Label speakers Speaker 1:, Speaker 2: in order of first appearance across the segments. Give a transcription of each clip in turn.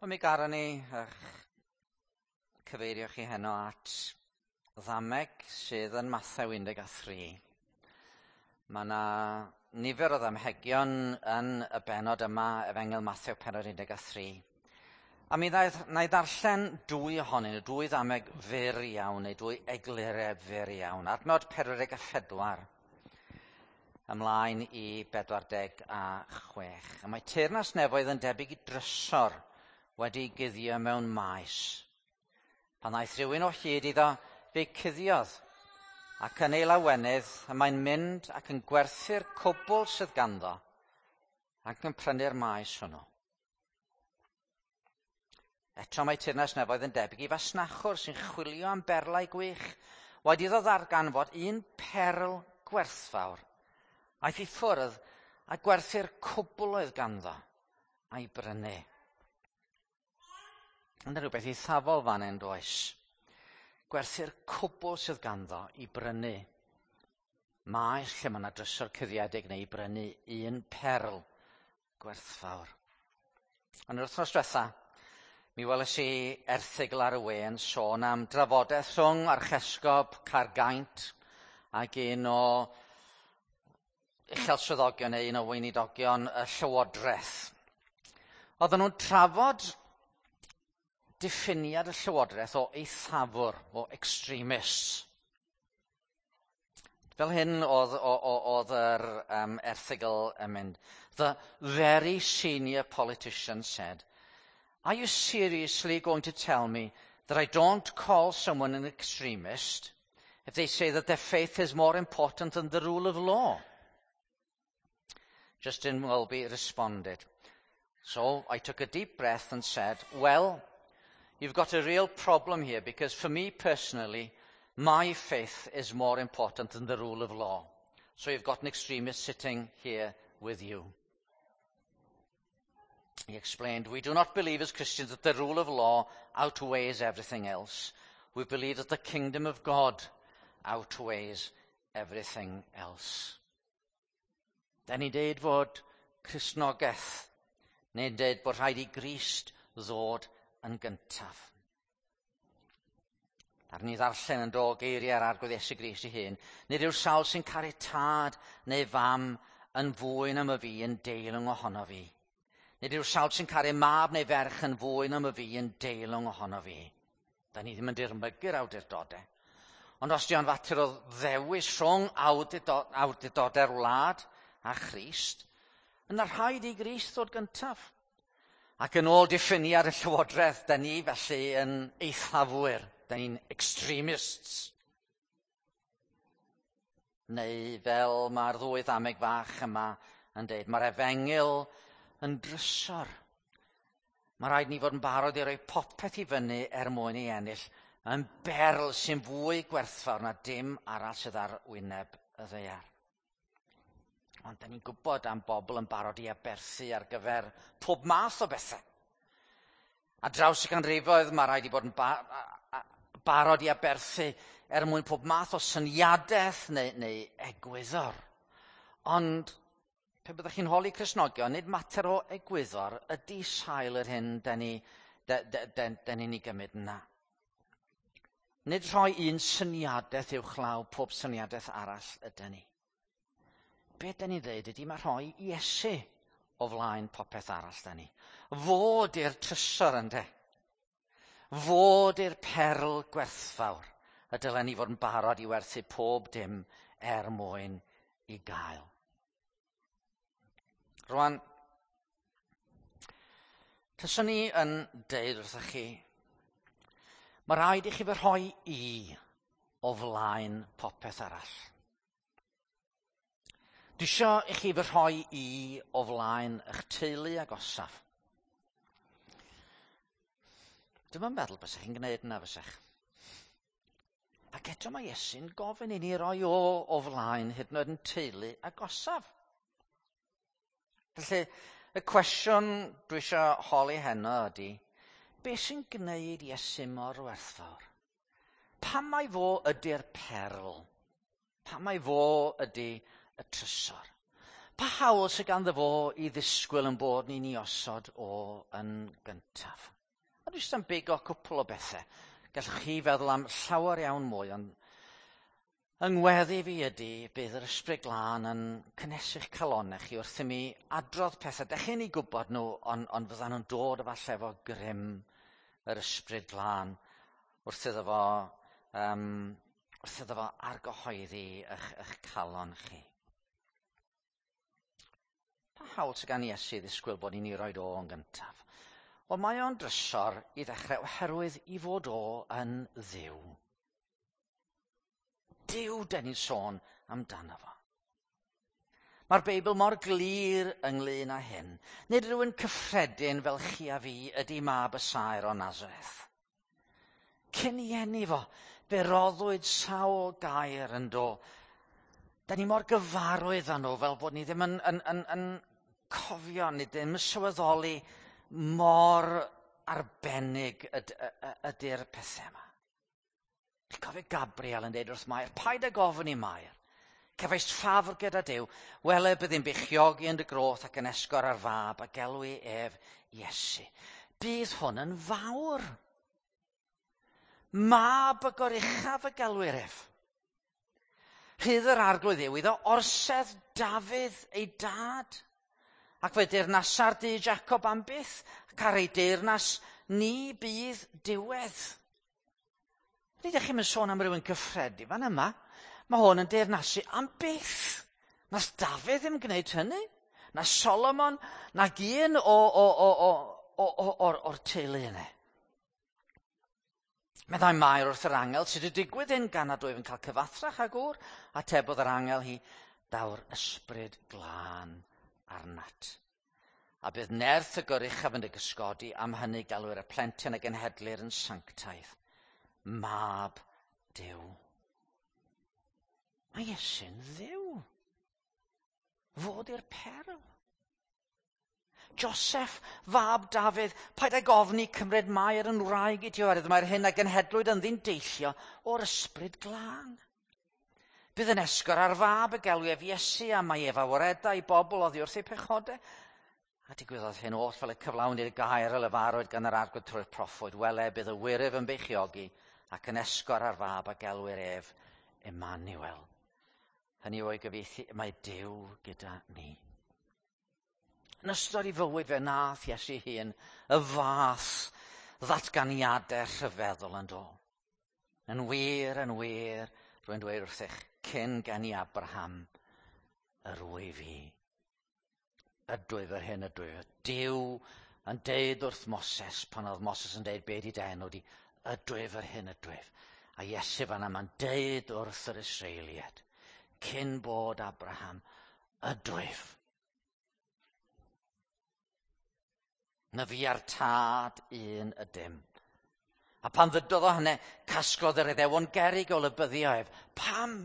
Speaker 1: Wel, mi garon ni eich cyfeirio chi heno at ddameg sydd yn Mathew 13. Mae yna nifer o ddamhegion yn y benod yma, Efengyl Mathew penod 13. A mi wna i ddarllen dwy ohonyn nhw, dwy ddameg fyr iawn, neu dwy eglureb fyr iawn. Adnod 44 ymlaen i 46. A mae teyrnas nefoedd yn debyg i drysor wedi guddio mewn maes. Pan ddaeth rhywun o hyd iddo, fe cuddiodd, ac yn ei lawenydd y mae'n mynd ac yn gwerthu'r cwbl sydd ganddo ac yn prynu'r maes hwnnw. Eto mae teyrnas nefoedd yn debyg i fasnachwr sy'n chwilio am berlau gwych, wedi iddo ddarganfod un perl gwerthfawr. Aeth i ffwrdd a gwerthu'r cwbl oedd ganddo a'i brynu. Yna rhywbeth eithafol fan hyn, does? Gwerthu'r cwbl sydd ganddo i brynu maes lle mae yna drysor cuddiedig neu i brynu un perl gwerthfawr. Yn yr wythnos diwetha, mi weles i erthygl ar y we yn sôn am drafodaeth rhwng Archesgob Caergaint ac un o uchel swyddogion neu un o weinidogion y Llywodraeth. Oedden nhw'n trafod diffiniad y Llywodraeth o eithafwr, o extremists. Fel hyn oedd, oedd yr erthygl yn mynd. "The very senior politician said, 'Are you seriously going to tell me that I don't call someone an extremist if they say that their faith is more important than the rule of law?' Justin Welby responded, 'So I took a deep breath and said, "Well, you've got a real problem here because for me personally, my faith is more important than the rule of law. So you've got an extremist sitting here with you." He explained, "We do not believe as Christians that the rule of law outweighs everything else. We believe that the kingdom of God outweighs everything else." Da ni'n deud fod Cristnogaeth, neu'n deud bod rhaid i Grist ddod yn gyntaf. Ar ni ddarllen yn do geiriau'r Arglwydd Iesu Grist ei hun. "Nid yw'r sawl sy'n caru tad neu fam yn fwy na myf fi yn deilwng ohono fi. Nid yw'r sawl sy'n caru mab neu ferch yn fwy na myf fi yn deilwng ohono fi." Da ni ddim yn dirmygu'r awdurdodau. Ond os di o'n fater o ddewis rhwng awdurdodau'r wlad a Christ, yna rhaid i Grist ddod gyntaf. Ac yn ôl diffiniad y Llywodraeth, da ni felly yn eithafwyr. Da ni'n extremists. Neu fel mae'r ddwy ddameg fach yma yn dweud, mae'r efengyl yn drysor. Mae rhaid ni fod yn barod i roi popeth i fyny er mwyn ei ennill, yn berl sy'n fwy gwerthfawr na dim arall sydd ar wyneb y ddaear. Ond da ni'n gwybod am bobl yn barod i aberthu ar gyfer pob math o bethau. A draws y ganrifoedd mae rhaid i bod yn barod i aberthu er mwyn pob math o syniadaeth neu egwyddor. Ond pe byddwch chi'n holi Cristnogion, nid mater o egwyddor ydy sail yr hyn da ni'n ei gymryd yna. Nid rhoi un syniadaeth uwchlaw pob syniadaeth arall ydy ni. Be da ni'n dweud ydy mae rhoi Iesu o flaen popeth arall da ni. Fod i'r trysor, ynde. Fod i'r perl gwerthfawr y dylen ni fod yn barod i werthu pob dim er mwyn i gael. Rwan, tyswn ni yn deud wrthych chi, mae rhaid i chi fy rhoi i o flaen popeth arall. Dwi isio i chi fy rhoi i o flaen eich teulu agosaf. Dwi'm yn meddwl bysach chi'n gwneud yna, fysach. Ac eto mae Iesu'n gofyn i ni roi o flaen hyd yn oed yn teulu agosaf. Felly, y cwestiwn dwi eisiau holi heno ydy, beth sy'n gwneud Iesu mor werthfawr? Pam mai fo ydy'r perl? Pam mai fo ydy y trysor? Pa hawl sydd ganddo fo i ddisgwyl yn bod ni'n ei osod o yn gyntaf? A dwi jyst am bigo cwpl o bethau. Gallwch chi feddwl am llawer iawn mwy, ond yng ngweddi fi ydy bydd yr Ysbryd Glân yn cynnesu'ch calonnau chi wrth i mi adrodd pethau. Dech chi'n ei gwybod nhw, ond fyddan nhw'n dod efallai efo grym yr Ysbryd Glân wrth iddo fo argyhoeddi eich calon chi. Pa hawl sydd gan Iesu ddisgwyl bod ni'n ei roed o yn gyntaf? Wel, mae o'n drysor i ddechrau oherwydd i fod o yn Dduw. Duw den ni'n sôn amdano fo. Mae'r Beibl mor glir ynglyn â hyn. Nid rhywun cyffredin fel chi a fi ydy mab y saer o Nazareth. Cyn i eni fo, fe roddwyd sawl gair yn do. Da ni mor gyfarwydd â nhw fel bod ni ddim yn cofio, ni ddim yn sylweddoli mor arbennig ydy'r pethau yma. Chi'n cofio Gabriel yn dweud wrth Mair, paid ag ofyn i Mair. Cefais ffafr gyda Duw, wele bydd beichiogi yn dy groth ac yn esgor ar fab a gelwi ef Iesu. Bydd hwn yn fawr. Mab y goruchaf y gelwir ef. Rhydd yr arglwydd yw iddo orsedd Dafydd ei dad. Ac fe deyrnasa'r dŷ Jacob am byth, ac ar ei deyrnas ni bydd diwedd. Nid ydych chi'n sôn am rywun cyffredin fan yma. Mae hwn yn deyrnasu am byth. Nath Dafydd ddim gwneud hynny. Na Solomon, nag un o'r teulu yna. Meddai Mair wrth yr angel, sydd wedi digwydd hyn gan nad wyf yn cael cyfathrach ag gŵr? Atebodd yr angel hi, daw'r ysbryd glân arnat. A bydd nerth y goruchaf yn dy gysgodi, am hynny galwir y plentyn a genhedlir yn sanctaidd. Mab Duw. Mae Iesu'n Dduw. Fod i'r perl. Joseph, fab Dafydd, paid ag ofni cymryd Mair yn wraig i ti oherwydd mae'r hyn a genhedlwyd ynddi'n deillio o'r ysbryd glân. Bydd yn esgor ar fab y gelw ef Iesu a mae ef a waredai bobl oddi wrth eu pechodau. A digwyddodd hyn oll fel y cyflawn i'r gair y lefarwyd gan yr arglwydd trwy'r proffwyd. Wele, bydd y wyryf yn beichiogi ac yn esgor ar fab a gelwir ef Emmanuel. Hynny yw o'i gyfieithu, mae Duw gyda ni. Yn ystod ei fywyd fe nath Iesu hun y fath ddatganiadau rhyfeddol yn dod. Yn wir, rwy'n dweud wrthych, cyn geni Abraham, yr wyf i. Ydwyf yr hyn ydwyf. Duw yn deud wrth Moses, pan oedd Moses yn deud be di dy enw di, ydwyf yr hyn ydwyf. A Iesu fan yma'n deud wrth yr Israeliad, cyn bod Abraham, ydwyf. Na fi a'r tad un ydym. A pan ddydodd o hynny, casglodd yr Iddewon gerrig o lybyddio ef. Pam?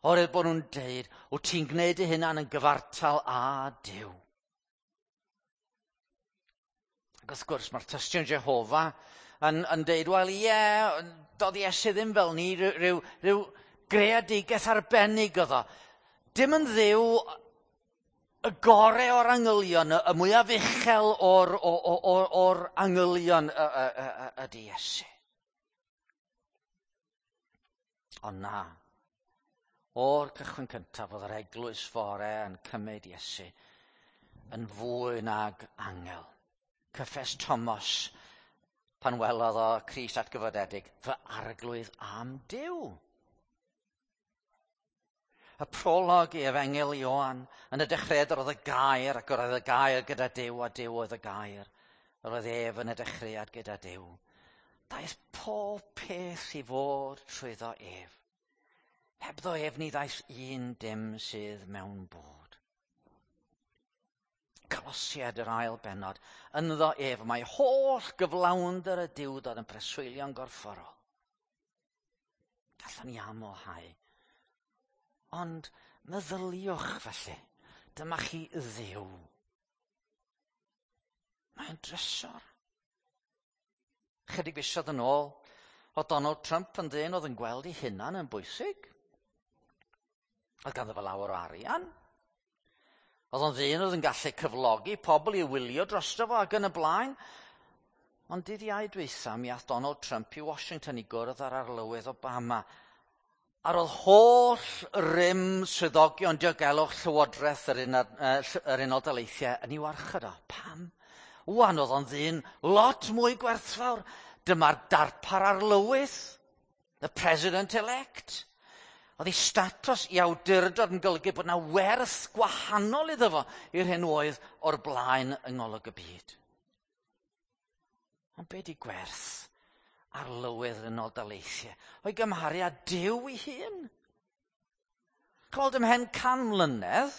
Speaker 1: Oherwydd bod nhw'n deud, wyt ti'n gwneud dy hunan yn gyfartal â Duw. Ac wrth gwrs, mae'r tystion Jehofa yn deud, wel ie, doedd Iesu ddim fel ni, rhyw greadigaeth arbennig oedd o. Dim yn Dduw y gore o'r angylion, y mwyaf uchel o'r angylion ydy Iesu. Ond na, o'r cychwyn cyntaf oedd yr eglwys fore yn cymryd Iesu yn fwy nag angel. Cyffes Thomas pan welodd o Crist atgyfodedig, fy arglwydd am Duw. Y prolog i Efengyl Ioan, yn y dechreuad yr oedd y gair, ac yr oedd y gair gyda Duw, a Duw oedd y gair. Yr oedd ef yn y dechreuad gyda Duw. Daeth pob peth i fod trwyddo ef. Hebddo ef ni ddaeth un dim sydd mewn bod. Colosiad yr ail bennod, ynddo ef mae holl gyflawnder y Duwdod yn preswylio'n gorfforol. Gallwn ni amlhau. Ond meddyliwch felly, dyma chi Dduw. Mae'n drysor. Chydig fisoedd yn ôl, oedd Donald Trump yn ddyn oedd yn gweld ei hunan yn bwysig. Oedd ganddo fe lawer o arian. Oedd o'n ddyn oedd yn gallu cyflogi pobl i wylio drosto fo ac yn y blaen. Ond dydd Iau dwytha, mi ath Donald Trump i Washington i gwrdd â'r arlywydd Obama. A roedd holl rym swyddogion diogelwch Llywodraeth yr, yr Unol Daleithiau yn ei warchod o. Pam? Wan oedd o'n ddyn lot mwy gwerthfawr. Dyma'r darpar arlywydd, the president-elect. Oedd ei statws i awdurdod yn golygu bod yna werth gwahanol iddo fo i'r hyn oedd o'r blaen yng ngolwg y byd. Ond be di gwerth arlywydd yr Unol Daleithiau o'i gymharu â Duw ei hun? Chweld ymhen 100 mlynedd,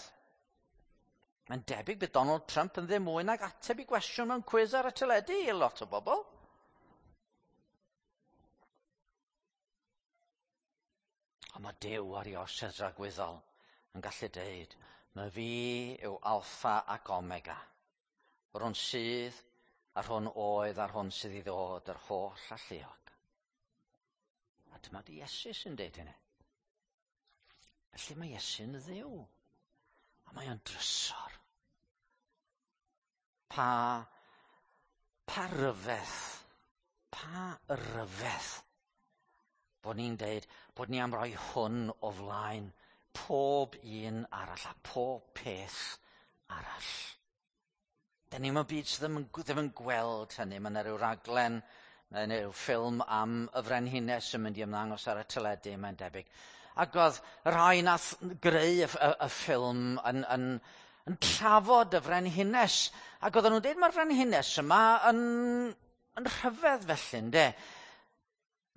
Speaker 1: mae'n debyg bydd Donald Trump yn ddim mwy nag ateb i gwestiwn mewn cwiz ar y teledu i lot o bobl. Ond mae Duw ar ei orsedd dragwyddol yn gallu deud, mae fi yw Alpha ac Omega. Yr hwn sydd, a'r hwn oedd, a'r hwn sydd i ddod, yr holl alluog. A dyma di Iesu sy'n deud hynny. Felly mae Iesu'n Dduw. A mae o'n drysor. Pa, pa ryfedd, pa ryfedd bod ni'n deud bod ni am roi hwn o flaen pob un arall a pob peth arall. Da ni mewn byd sydd ddim yn, ddim yn gweld hynny. Mae yna rhyw raglen neu rhyw ffilm am y frenhines yn mynd i ymddangos ar y teledu, mae'n debyg. Ac oedd y rhai nath greu y, y, y ffilm yn, yn, yn trafod y frenhines. Ac oedden nhw'n dweud mae'r frenhines yma yn, yn rhyfedd felly, ynde?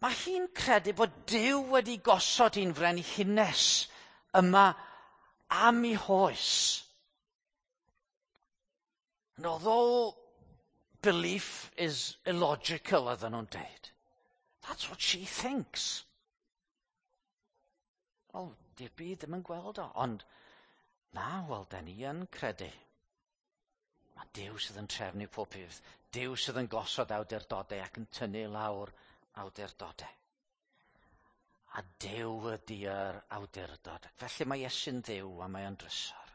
Speaker 1: Mae hi'n credu bod Duw wedi gosod hi'n frenhines yma am ei hoes. And although belief is illogical, oedden nhw'n deud, that's what she thinks. Wel, di'r byd ddim yn gweld o, ond na, wel, da ni yn credu. Mae Duw sydd yn trefnu pob peth. Duw sydd yn gosod awdurdodau ac yn tynnu lawr awdurdodau. A Duw ydy'r awdurdod. Felly mae Iesu'n Dduw a mae o'n drysor.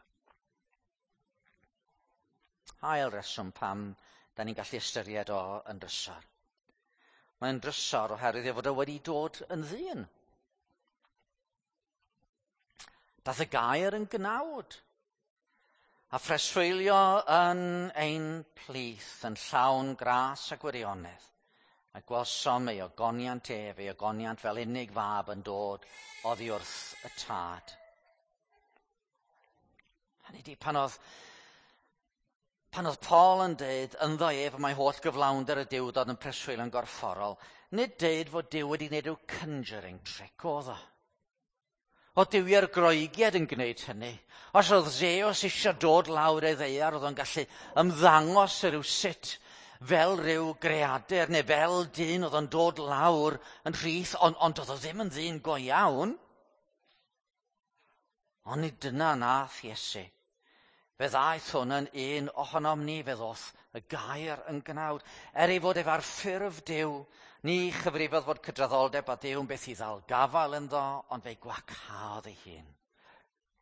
Speaker 1: Ail reswm pam da ni'n gallu ystyried o yn drysor. Mae'n drysor oherwydd ei fod o wedi dod yn ddyn. Dath y gair yn gnawd a phreswylio yn ein plith yn llawn gras a gwirionedd. A gwelsom ei ogoniant ef, ei ogoniant fel unig fab yn dod oddi wrth y tad. Hynny di, pan oedd, pan oedd Paul yn deud ynddo ef mae holl gyflawnder y Duwdod yn preswylio'n gorfforol, nid deud fod Duw wedi gwneud rhyw conjuring trick oedd o. Oedd duwiau'r Groegiaid yn gwneud hynny. Os oedd Zeus eisiau dod lawr ei ddaear, oedd o'n gallu ymddangos rhyw sut fel rhyw greadur neu fel dyn oedd o'n dod lawr yn rhith, ond, ond oedd o ddim yn ddyn go iawn. Ond nid dyna nath Iesu. Fe ddaeth hwn yn un ohonom ni, fe ddoth y gair yn gnawd. Er ei fod ef ar ffurf Duw, ni chyfrifodd fod cydraddoldeb a Duw yn beth i ddal gafael ynddo, ond fe'i gwacaodd ei hun,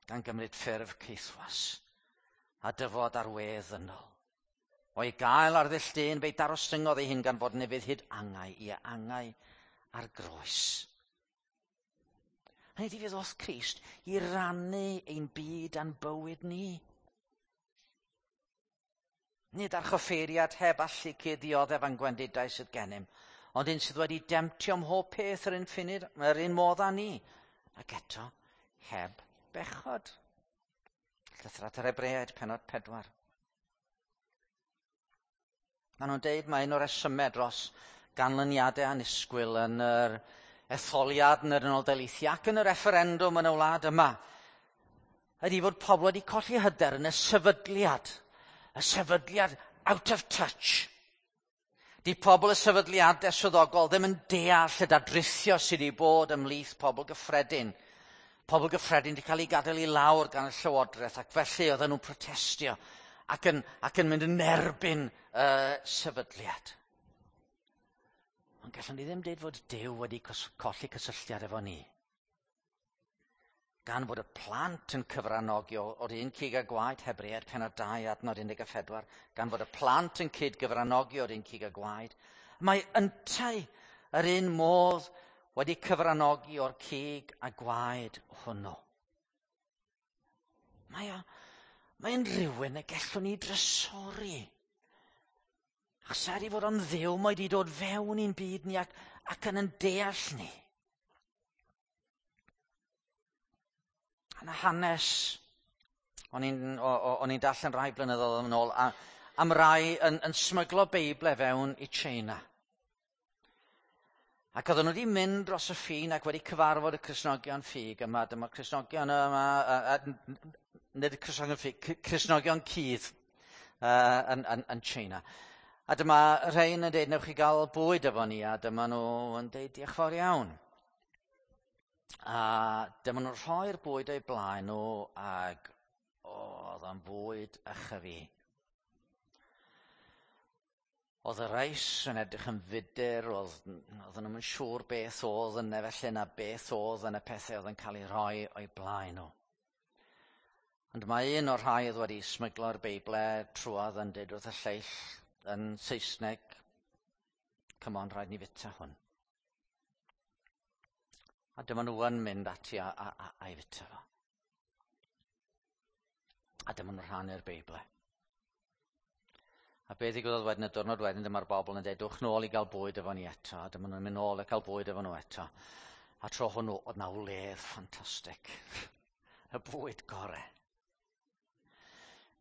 Speaker 1: gan gymryd ffurf caethwas a dyfod ar wedd ddynol. O'i gael ar ddull dyn, fe'i darostyngodd ei hun gan fod yn ufudd hyd angau, i angau ar groes. Hynny ydi fe ddoth Crist i rannu ein byd a'n bywyd ni. Nid archoffeiriad heb allu cyd-ddioddef a'n gwendidau sydd gennym, ond un sydd wedi demtio mhob peth yr un ffunud, yr un modd â ni, ac eto heb bechod. Llythyr at yr Hebreaid, pennod 4. Maen nhw'n deud mae un o'r resymau dros ganlyniadau annisgwyl yn yr etholiad yn yr Unol Daleithiau ac yn y refferendwm yn y wlad yma ydy fod pobl wedi colli hyder yn y sefydliad. Y sefydliad out of touch. Di pobl y sefydliadau swyddogol ddim yn deall y dadrithio sydd wedi bod ymhlith pobl gyffredin. Pobl gyffredin wedi cael ei gadael i lawr gan y llywodraeth ac felly oedden nhw'n protestio ac yn, ac yn mynd yn erbyn y sefydliad. Ond gallwn ni ddim deud fod Duw wedi colli cysylltiad efo ni. Gan fod y plant yn cyfranogi o'r un cig a gwaed, Hebreaid pennod 2 adnod 14, gan fod y plant yn cyd-gyfranogi o'r un cig a gwaed, mae yntau yr un modd wedi cyfranogi o'r cig a gwaed hwnnw. Mae'n rhywun y gallwn ni drysori. Achos er i fod o'n Dduw, mae wedi dod fewn i'n byd ni ac yn deall ni. Yna hanes, o'n i'n darllen rai blynyddoedd yn ôl, am rai yn smyglo Beible fewn i China. Ac oedden nhw wedi mynd dros y ffin ac wedi cyfarfod y Cristnogion ffug yma. Dyma'r Cristnogion yma, nid y Cristnogion ffug, Cristnogion cudd yn China. A dyma rhain yn dweud, newch chi gael bwyd efo ni, a dyma nhw yn dweud, diolch fawr iawn. A dyma nhw'n rhoi'r bwyd o'i blaen nhw, ac oedd o'n fwyd ychyfu. Oedd y reis yn edrych yn fudur, oedden nhw'n siŵr beth oedd yna felly na beth oedd yn y pethau oedd yn cael ei rhoi o'i blaen nhw. Ond mae un o'r rhai oedd wedi smyglo'r Beible trwodd yn dweud wrth y lleill yn Saesneg, come on, rhaid ni fita hwn. A dyma nhw yn mynd ati a'i fita fo. A dyma nhw'n rhannu'r Beible. A beth ddigwyddodd wedyn y diwrnod wedyn, dyma'r bobl yn dweud, dwch nôl i gael bwyd efo ni eto. A dyma nhw'n mynd nôl i cael bwyd efo nhw eto. A tro hwnnw, oedd na wledd ffantastig. Y bwyd gore.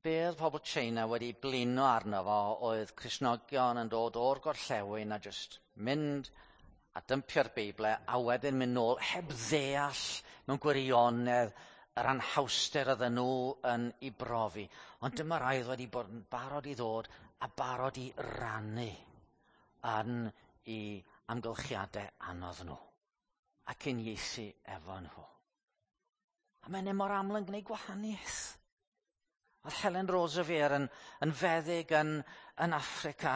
Speaker 1: Be oedd pobl China wedi blino arno fo oedd Cristnogion yn dod o'r gorllewin a just mynd a dympio'r Beible a wedyn mynd nôl heb ddeall mewn gwirionedd yr anhawster oedden nhw yn ei brofi. Ond dyma rai oedd wedi bod yn barod i ddod a barod i rannu yn ei amgylchiadau anodd nhw ac uniaethu efo nhw. A mae'n mor aml yn gwneud gwahaniaeth. Oedd Helen Roseveare yn feddyg yn Affrica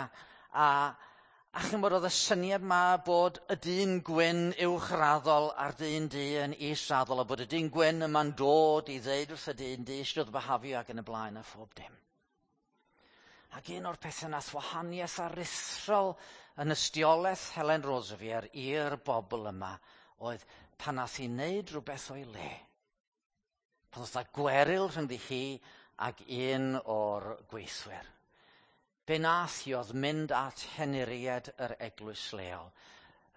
Speaker 1: a chi'n bod oedd y syniad ma bod y dyn gwyn uwchraddol a'r dyn du yn israddol a bod y dyn gwyn yma'n dod i ddeud wrth y dyn du eisiau dod byhafio ac yn y blaen a phob dim. Ac un o'r pethau nath wahaniaeth aruthrol yn ystiolaeth Helen Roseveare i'r bobl yma oedd pan nath hi wneud rhywbeth o'i le. Pan oedd 'na gweryl rhyngddi hi ac un o'r gweithwyr. Be nath hi oedd mynd at henuried yr eglwys leol.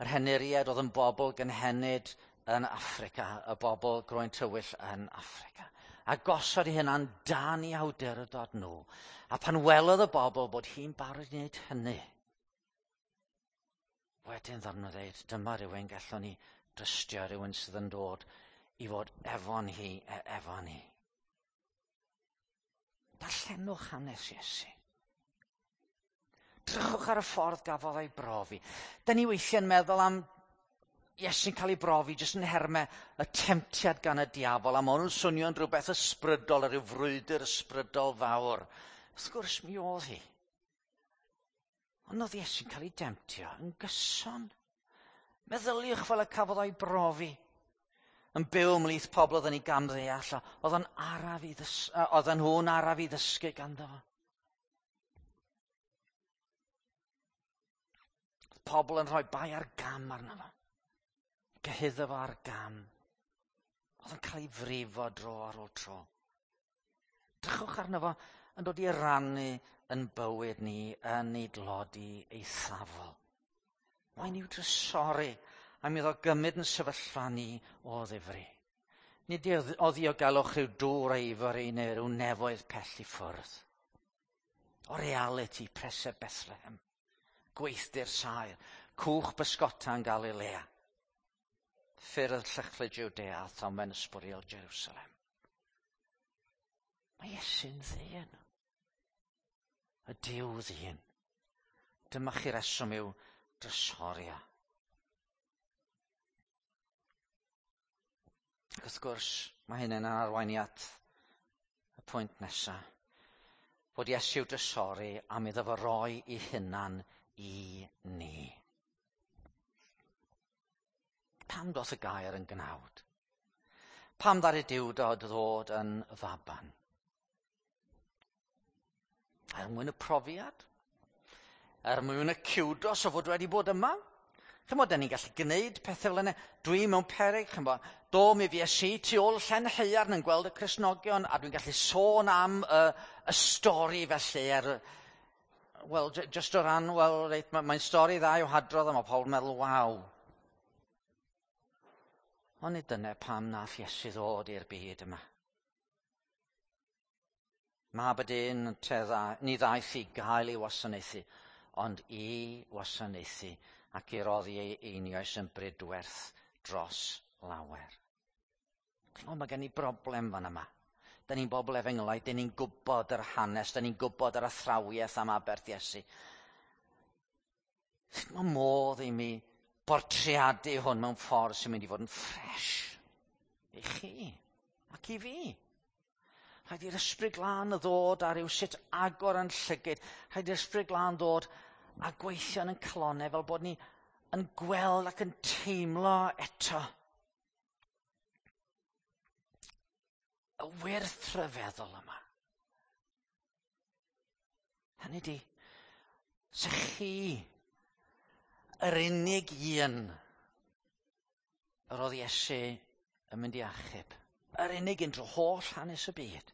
Speaker 1: Yr henuried oedd yn bobl gynhenid yn Affrica, y bobl groen tywyll yn Affrica. A gosod ei hunan dan i awdurdod nhw. A pan welodd y bobl bod hi'n barod i wneud hynny, wedyn ddaru nhw ddeud, dyma rhywun gallwn ni drystio, rhywun sydd yn dod i fod efo ni, efo ni. Darllenwch hanes Iesu. Drychwch ar y ffordd gafodd ei brofi. Da ni weithiau'n meddwl am Iesu'n cael ei brofi jyst yn nhermau y temtiad gan y diafol, a ma' hwn yn swnio'n rhywbeth ysbrydol, rhyw frwydr ysbrydol fawr. Wrth gwrs mi oedd hi. Ond oedd Iesu'n cael ei demtio yn gyson. Meddyliwch fel y cafodd o'i brofi. Yn byw ymhlith pobl oedd yn ei gamddeall, oedd nhw'n araf i ddysgu ganddo fo. Pobl yn rhoi bai ar gam arno fo. Gyhuddo fo ar gam. Oedd yn cael ei frifo dro ar ôl tro. Drychwch arno fo yn dod i rannu yn bywyd ni yn ei dlodi eithafol. Mae'n i'w drysori am iddo gymryd yn sefyllfa ni o ddifri. Nid o ddiogelwch rhyw dŵr Ivory neu rhyw nefoedd pell i ffwrdd. O realiti preseb Bethlehem, gweithdy'r saer, cwch bysgota yn Galilea, ffyrdd llychlyd Jwdea a thomen ysbwriel Jerusalem. Mae Iesu'n ddyn. Y Duw ddyn. Dyma chi reswm i'w drysoria. Ac wrth gwrs, mae hyn yn arwain at y pwynt nesaf. Fod Iesu i'w drysori am iddo fo roi ei hunan i ni. Pam doth y gair yn gnawd? Pam ddaru Duw ddod yn faban? Er mwyn y profiad? Er mwyn y ciwdos o fod wedi bod yma? Chymod, da ni'n gallu gwneud pethau fel yna. Dwi mewn peryg, chymod, do mi fues i tu ôl llen haearn yn gweld y Cristnogion, a dwi'n gallu sôn am y stori felly, wel, just o ran, wel, reit, mae'n stori dda i'w hadrodd, a mae pobl yn meddwl, waw. Ond nid dyna pam nath Iesu ddod i'r byd yma. Mab y dyn ni ddaeth i gael ei wasanaethu, ond i wasanaethu ac i roddi ei einioes yn brydwerth dros lawer. O, mae gen i broblem fan yma. Da ni'n bobl efengylaidd, da ni'n gwybod yr hanes, da ni'n gwybod yr athrawiaeth am aberth Iesu. Sut mae modd i mi bortreadu hwn mewn ffordd sy'n mynd i fod yn ffres i chi ac i fi? Rhaid i'r Ysbryd Glân ddod a rhyw sut agor yn llygyd. Rhaid i'r Ysbryd Glân ddod a gweithio yn ein calonnau fel bod ni yn gweld ac yn teimlo eto y wyrth rhyfeddol yma. Hynny di, se chi yr unig un yr oedd Iesu yn mynd i achub, yr unig un drwy holl hanes y byd,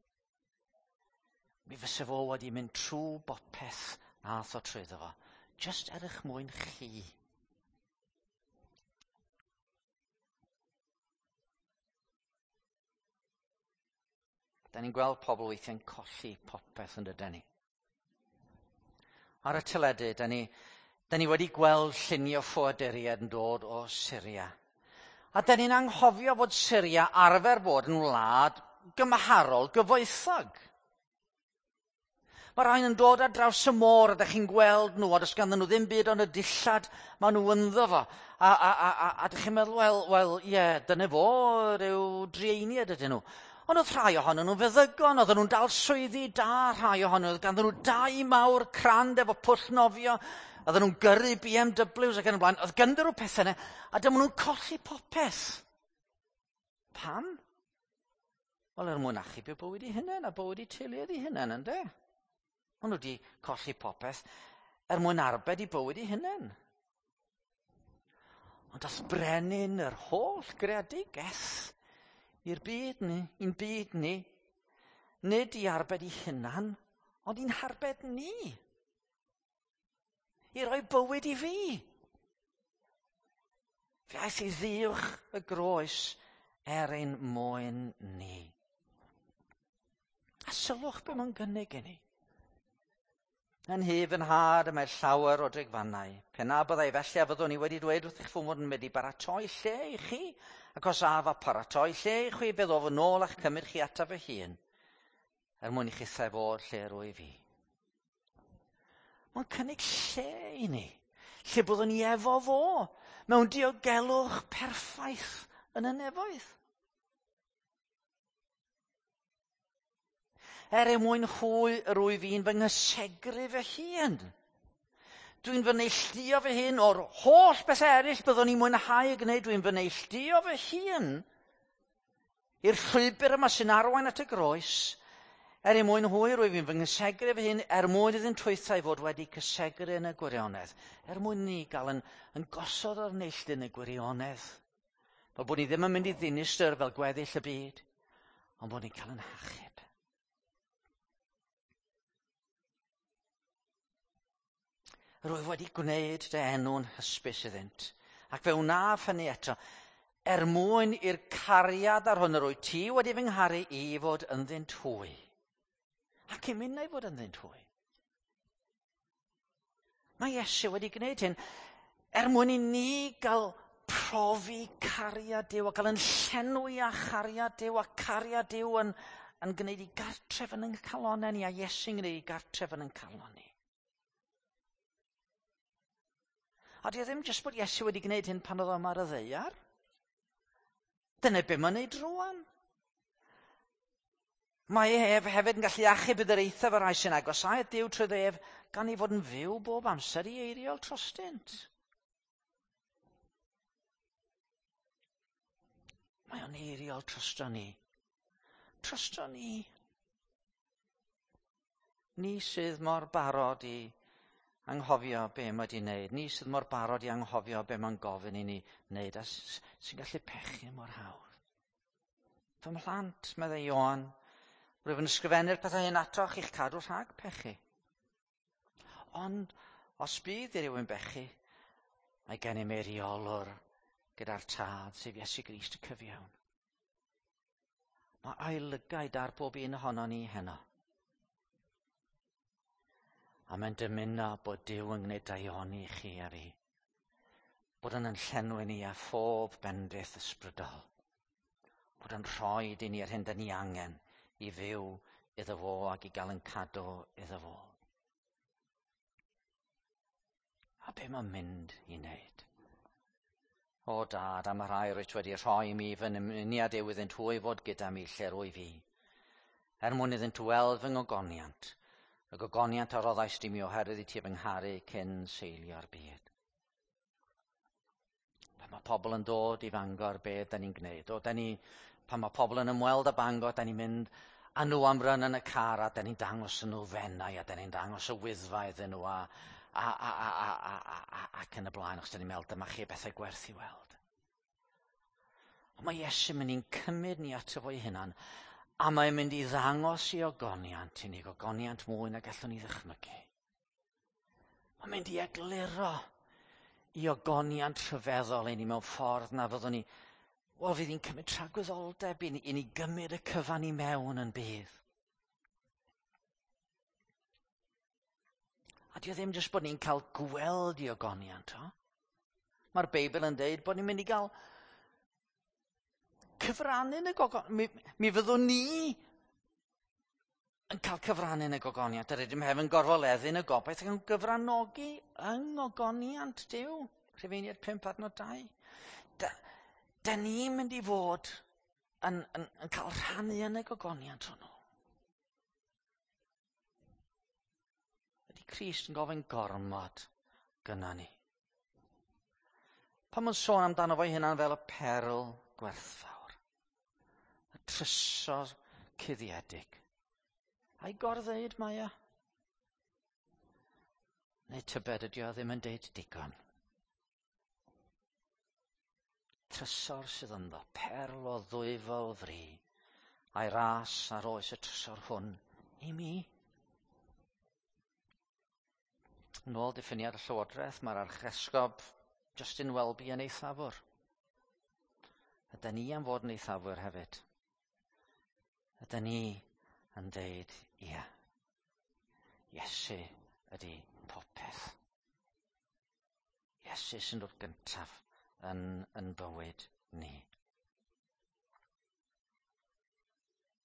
Speaker 1: mi fysa fo wedi mynd trwy bopeth nath o trwyddo fo, just er eich mwyn chi. Da ni'n gweld pobl weithiau'n colli popeth yn dydyn ni. Ar y teledu, da ni wedi gweld llunio ffoaduriaid yn dod o Syria. A da ni'n anghofio fod Syria arfer bod yn wlad gymharol gyfoethog. Mae rhain yn dod ar draws y môr a da chi'n gweld nhw, a does ganddyn nhw ddim byd ond y dillad maen nhw ynddo fo. A da chi'n meddwl, wel, ie, dyna fo, rhyw drueiniad ydyn nhw. Ond oedd rhai ohonyn nhw'n feddygon, oedden nhw'n dal swyddi da, rhai ohonyn nhw, oedd ganddyn nhw dai mawr crand efo pwll nofio, oedden nhw'n gyrru BMWs ac yn y blaen, oedd ganddyn nhw pethau yna, a dyma nhw'n colli popeth. Pam? Wel, er mwyn achub eu bywyd eu hunain a bywyd eu teuluoedd eu hunain, ynde? Maen nhw wedi colli popeth er mwyn arbed eu bywyd eu hunain. Ond dath brenin yr holl greadigaeth i'r byd ni, i'n byd ni, nid i arbed ei hunan, ond i'n harbed ni. I roi bywyd i fi. Fe aeth i ddiwch y groes er ein mwyn ni. A sylwch be mae'n gynnig i ni. Yn nhŷ fy nhad y mae llawer o drigfannau. Pe na byddai felly a fyddwn i wedi dweud wrthych fy mod yn mynd i baratoi lle i chi, ac os af a paratoi lle i chwi, fe ddof yn ôl a'ch cymryd chi ataf fy hun, er mwyn i chithau fod lle rwyf fi. Mae'n cynnig lle i ni, lle byddwn ni efo fo, mewn diogelwch perffaith yn y nefoedd. Er ei mwyn hwy yr wyf fi'n fy nghysegru fy hun. Dwi'n fy neilltuo fy hun o'r holl beth eraill byddwn i'n mwynhau y gwneud. Dwi'n fy neilltuo fy hun i'r llwybr yma sy'n arwain at y groes. Er ei mwyn hwy yr wyf fi'n fy nghysegru fy hun, er mwyn iddynt hwythau fod wedi cysegru yn y gwirionedd. Er mwyn ni gael yn gosod o'r neilltu yn y gwirionedd. Fel bod ni ddim yn mynd i ddinistr fel gweddill y byd, ond bod ni'n cael yn hachub. Rwyf wedi gwneud dy enw'n hysbys iddynt, ac fe wnaf hynny eto, er mwyn i'r cariad ar hwn yr wyt ti wedi fy ngharu i fod ynddynt hwy, ac i minnau fod ynddynt hwy. Mae Iesu wedi gwneud hyn er mwyn i ni gael profi cariad Duw a gael yn llenwi â chariad Duw, a cariad Duw yn gwneud i gartref yn ein calonnau ni, a Iesu'n gwneud i gartref yn ein calon ni. A di o ddim jyst bod Iesu wedi gwneud hyn pan oedd o yma ar y ddaear. Dyna be mae'n neud rŵan. Mae ef hefyd yn gallu achub i'r eithaf y rhai sy'n agosáu at Duw trwy ef, gan ei fod yn fyw bob amser i eiriol trostynt. Mae o'n eiriol trosto ni. Trosto ni. Ni sydd mor barod i anghofio be mae wedi wneud. Ni sydd mor barod i anghofio be mae'n gofyn i ni wneud a sy'n gallu pechu mor hawdd. Fy mhlant, meddai Ioan, rwyf yn ysgrifennu'r pethau hyn atoch i'ch cadw rhag pechu. Ond os bydd i rywun bechu, mae gennym eiriolwr gyda'r Tad, sef Iesu Grist y cyfiawn. Mae ei lygaid ar bob un ohonon ni heno. A mae'n dymuno bod Duw yn gwneud daioni i chi a fi. Bod yn llenwi ni â phob bendith ysbrydol. Bod yn rhoi i ni yr hyn da ni angen i fyw iddo fo ac i gael yn cadw iddo fo. A be mae'n mynd i wneud? O Dad, am y rhai rwyt wedi rhoi i mi fy nymuniad yw iddynt hwy fod gyda mi lle rwyf fi. Er mwyn iddynt weld fy ngogoniant, y gogoniant a roddais di mi oherwydd i ti fy ngharu cyn seilio'r byd. Pan mae pobl yn dod i Fangor, be da ni'n gwneud? O, da ni, pan mae pobl yn ymweld â Bangor, da ni'n mynd â nhw am run yn y car a da ni'n dangos nhw Fenai a da ni'n dangos y Wyddfa iddyn nhw a, a, a, a, a, a, a, a, ac yn y blaen, achos da ni'n meddwl dyma chi bethau gwerth i weld. Ond mae Iesu'n mynd i'n cymryd ni ato fo'i hunan, a mae'n mynd i ddangos i ogoniant i ni, gogoniant mwy na gallwn ni ddychmygu. Mae'n mynd i egluro i ogoniant rhyfeddol i ni mewn ffordd na fyddwn ni, wel, fydd hi'n cymryd tragwyddoldeb i ni gymryd y cyfan i mewn yn bydd. A dio ddim jyst bod ni'n cael gweld i ogoniant, o. Mae'r Beibl yn deud bod ni'n mynd i gael cyfrannu yn y gogoniant. Mi fyddwn ni yn cael cyfrannu yn y gogoniant. Yr ydym hefyd yn gorfoleddu yn y gobaith ac yn gyfranogi yng ngogoniant Duw. Rhufeiniaid 5 adnod 2. Da ni'n mynd i fod yn cael rhannu yn y gogoniant hwnnw. Ydy Crist yn gofyn gormod gynna ni? Pan mae'n sôn amdano fo'i hunan fel y perl gwerthfawr, y trysor cuddiedig, a'i gor-ddeud mae o? Neu tybed ydy o ddim yn deud digon? Trysor sydd ynddo, perl o ddwyfol fri, a'i ras ar oes y trysor hwn i mi. Yn ôl diffiniad y Llywodraeth, mae'r Archesgob Justin Welby yn eithafwr. Ydy ni am fod yn eithafwr hefyd? Ydy ni yn deud, ia, Iesu ydy popeth. Iesu sy'n dod gyntaf yn bywyd ni.